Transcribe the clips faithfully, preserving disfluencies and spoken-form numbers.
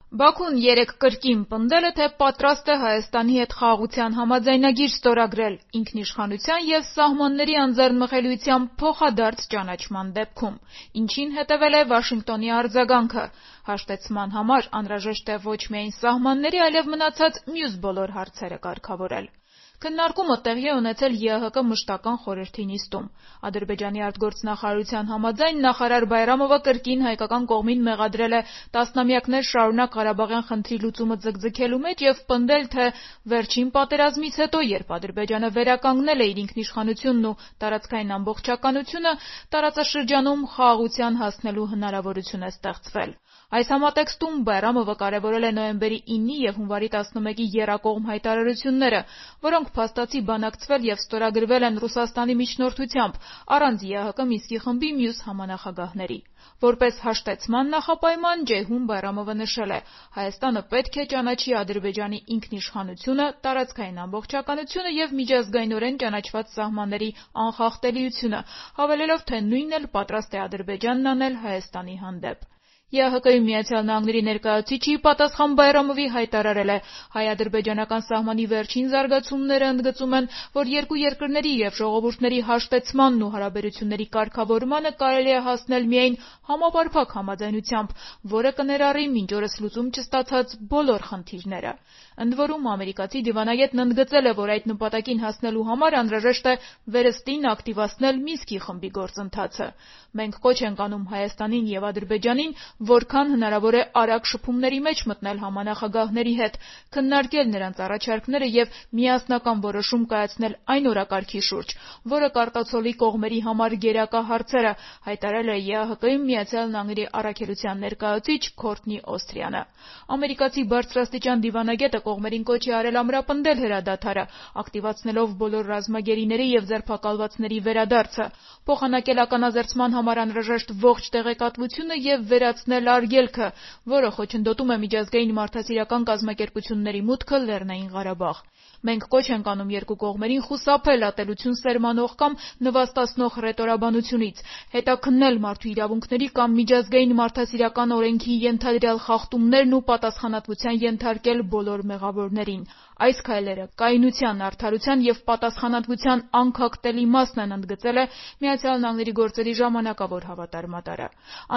Բաքուն երեկ կրկին պնդել է, թե պատրաստ է Հայաստանի հետ խաղաղության համաձայնագիր ստորագրել ինքնիշխանության և սահմանների անձեռնմխելիության փոխադարձ ճանաչման դեպքում, ինչին հետևել է Վաշինգտոնի արձագանքը. հաշտեցման համար անհրաժեշտ է ոչ միայն սահմանների, այլև մնացած մյուս բոլոր հարցերը կարգավորել։ Քննարկումը տեղի է ունեցել ԵԱՀԿ մշտական խորհրդի նիստում։ Ադրբեջանի արտգործնախարարության համաձայն նախարար Բայրամովը կրկին հայկական կողմին մեղադրել է տասնամյակներ շարունակ Ղարաբաղյան խնդրի լուծումը ձգձգելու մեջ և պնդել, թե վերջին պատերազմից հետո, երբ Ադրբեջանը վերականգնել է իր ինքնիշխանությունն ու տարածքային ամբողջականությունը, տարածաշրջանում խաղաղության հասնելու հնարավորություն է ստեղծվել։ Այս համատեքստում Բայրամովը կարևորել է նոյեմբերի ինը և հունվարի տասնմեկի եռակողմ հայտարարությունները, որոնք փաստացի բանակցվել և ստորագրվել են Ռուսաստանի միջնորդությամբ, առանց ԵԱՀԿ Մինսկի խմբի մյուս համանախագահների։ Որպես հաշտեցման նախապայման Ջեյհուն Բայրամովը նշել է. Հայաստանը պետք է ճանաչի Ադրբեջանի ինքնիշխանությունը, տարածքային ամբողջականությունը և միջազգայինորեն ճանաչված սահմանների անխախտելիությունը, հավելելով, թե նույնն էլ պատրաստ է Ադրբեջանն անել Հայաստանի հանդեպ։ ԵԱՀԿ-ի Միացյալ Նահանգների ներկայացուցիչը ի պատասխան Բայրամովի հայտարարել է. հայ-ադրբեջանական սահմանի վերջին զարգացումները ընդգծում են, որ երկու երկրների և ժողովուրդների հաշտեցմանն ու հարաբերությունների կարգավորմանը կարելի է հասնել միայն համապարփակ համաձայնությամբ, որը կներառի մինչ օրս լուծում չստացած բոլոր խնդիրները։ Ընդ որում, ամերիկացի դիվանագետն ընդգծել է, որ այդ նպատակին հասնելու համար անհրաժեշտ է վերստին ակտիվացնել Մինսկի խմբի գործընթացը։ Մենք կոչ ենք անում Հայաստանին և Ադրբեջանին որքան հնարավոր է արագ շփումների մեջ մտնել համանախագահների հետ, քննարկել նրանց առաջարկները և միասնական որոշում կայացնել այն օրակարգի շուրջ, որը կարտացոլի կողմերի համար գերակա հարցերը, հայտարարել է ԵԱՀԿ-ի Միացյալ Նահանգների առաքելության ներկայացուցիչ Քորթնի Օսթրիանը։ Ամերիկացի բարձրաստիճան դիվանագետը կողմերին կոչ է արել ամրապնդել հրադադարը, ակտիվացնելով բոլոր ռազմագերիների և ձերբակալվածների վերադարձը, փոխանակել ականազերծման համար անհրաժեշտ ողջ տեղեկատվությունը և վերացնել արգելքը, որը խոչընդոտում է միջազգային մարդասիրական կազմակերպությունների մուտքը Լեռնային Ղարաբաղ։ Մենք կոչ ենք անում երկու կողմերին խուսափել ատելություն սերմանող կամ նվաստացնող հռետորաբանությունից, հետաքննել մարդու իրավունքների կամ միջազգային մարդասիրական օրենքի ենթադրյալ խախտումներն ու պատասխանատվության ենթարկել բոլոր մեղավորներին։ Այս քայլերը կայունության, արդարության և պատասխանատվության անքակտելի մասն են, ընդգծել է Միացյալ Նահանգների գործերի ժամանակավոր հավատարմատարը։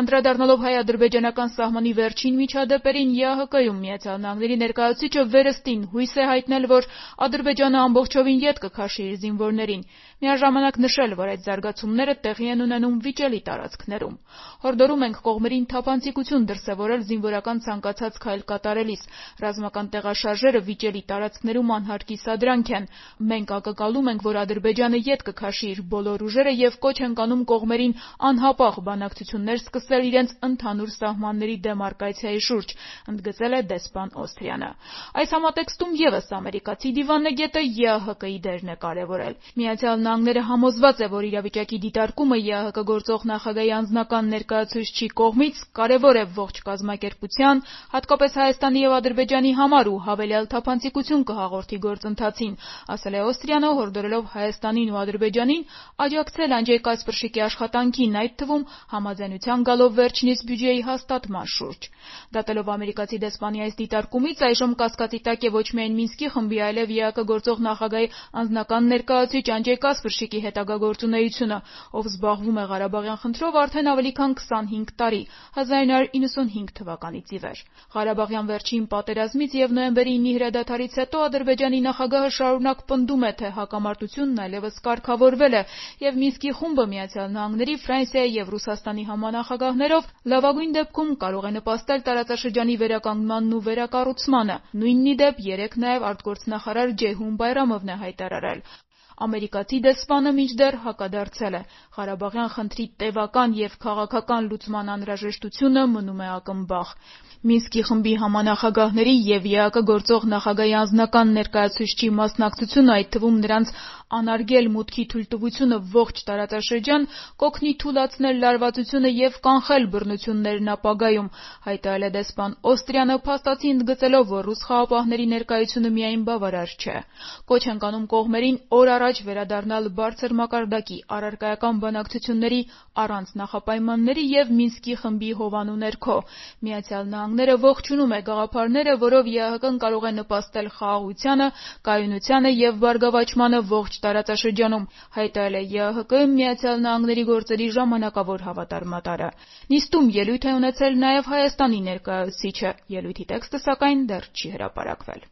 Անդրադառնալով հայ-ադրբեջանական սահմանի վերջին միջադեպերին, ԵԱՀԿ-ում Միացյալ Նահանգների ներկայացուցիչը վերստին հույս է հայտնել, որ Ադրբեջանը ամբողջովին ետ կքաշի իր զինվորներին, միաժամանակ նշել, որ այդ զարգացումները տեղի են ունենում վիճելի տարածքներում։ Հորդորում ենք կողմերին թափանցիկություն դրսևորել զինվորական ցանկացած քայլ կատարելիս։ Ռազմական տեղաշարժերը վիճելի տարածքներում անհարկի սադրանք են։ Մենք ակնկալում ենք, որ Ադրբեջանը ետ կքաշի իր բոլոր ուժերը և կոչ ենք անում կողմերին անհապաղ բանակցություններ սկսել իրենց ընդհանուր սահմանների դեմարկացիայի շուրջ, ընդգծել է դեսպան Օսթրիանը։ Այս համատեքստում ևս ամերիկացի դիվանագետը ԵԱՀԿ-ի դերն է կարևորել։ Միացյալ Նահանգները համոզված է, որ իրավիճակի դիտարկումը ԵԱՀԿ գործող նախագահի անձնական ներկայացուցչի կողմից կարևոր է ողջ կազմակերպության, հատկապես Հայաստանի և Ադրբեջանի համար ու հավելյալ թափանցիկություն կհաղորդի գործընթացին, ասել է Օստրիանը, հորդորելով Հայաստանին ու Ադրբեջանին աջակցել Անջեյ-Կասպրշիկի աշխատանքին, այդ թվում համաձայնության գալով վերջինիս բյուջեի հաստատման շուրջ։ Դատելով ամերիկացի դեսպանի այս դիտարկումից, այժմ կասկածի տակ է ոչ միայն Մինսկի խմբի, այլև ԵԱՀԿ գործող նախագահի անձնական ներկայացուցիչ Անջեյ Կասպրշիկի հետագա գործունեությունը, ով զբաղվում է Ղարաբաղյան խնդրով արդեն ավելի քան քսանհինգ տարի՝ հազար նույն հարյուր իննսունհինգ թվականից ի վեր։ Ղարաբաղյան վերջին պատերազմից և նոյեմբերի ինի հրադադարից հետո Ադրբեջանի նախագահը շարունակ պնդում է, թե հակամարտությունն այլևս կարգավորվել է, և Մինսկի խումբը Միացյալ Նահանգների, Ֆրանսիայի և Ռուսաստանի համանախագահներով լավագույն դեպքում կարող է նպաստել տարածաշրջանի վերականգնմանն ու վերակառուցմանը։ Նույնն ի դեպ երեկ նաև արտգործնախարար Ջեյհուն Բայրամովն է հայտարարել։ Ամերիկացի դեսպանը մինչդեռ հակադարձել է. Ղարաբաղյան խնդրի տևական և քաղաքական լուծման անհրաժեշտությունը մնում է ակնբախ։ Մինսկի խմբի համանախագահների և ԵԱՀԿ գործող նախագահի անձնական ներկայացուցչի մասնակցությունը, այդ թվում նրանց անարգել մուտքի թույլտվությունը ողջ տարածաշրջան, կօգնի թուլացնել լարվածությունը և կանխել բռնություններն ապագայում, հայտարարել է դեսպան Օստրիանը, փաստացի ընդգծելով, որ ռուս խաղաղապահների ներկայությունը միայն բավարար չէ։ Կոչ ենք անում կողմերին օր առաջ առաջ վերադառնալ բարձր մակարդակի առարկայական բանակցությունների առանց նախապայմանների և Մինսկի խմբի հովանու ներքո։ Միացյալ Նահանգները ողջունում է գաղափարները, որով ԵԱՀԿ-ն կարող է նպաստել խաղաղությանը, կայունությանը և բարգավաճմանը ողջ տարածաշրջանում, հայտարարել է ԵԱՀԿ Միացյալ Նահանգների գործերի ժամանակավոր հավատարմատարը։ Նիստում ելույթ է ունեցել նաև Հայաստանի ներկայացուցիչը, ելույթի տեքստը սակայն դեռ չի հրապարակվել։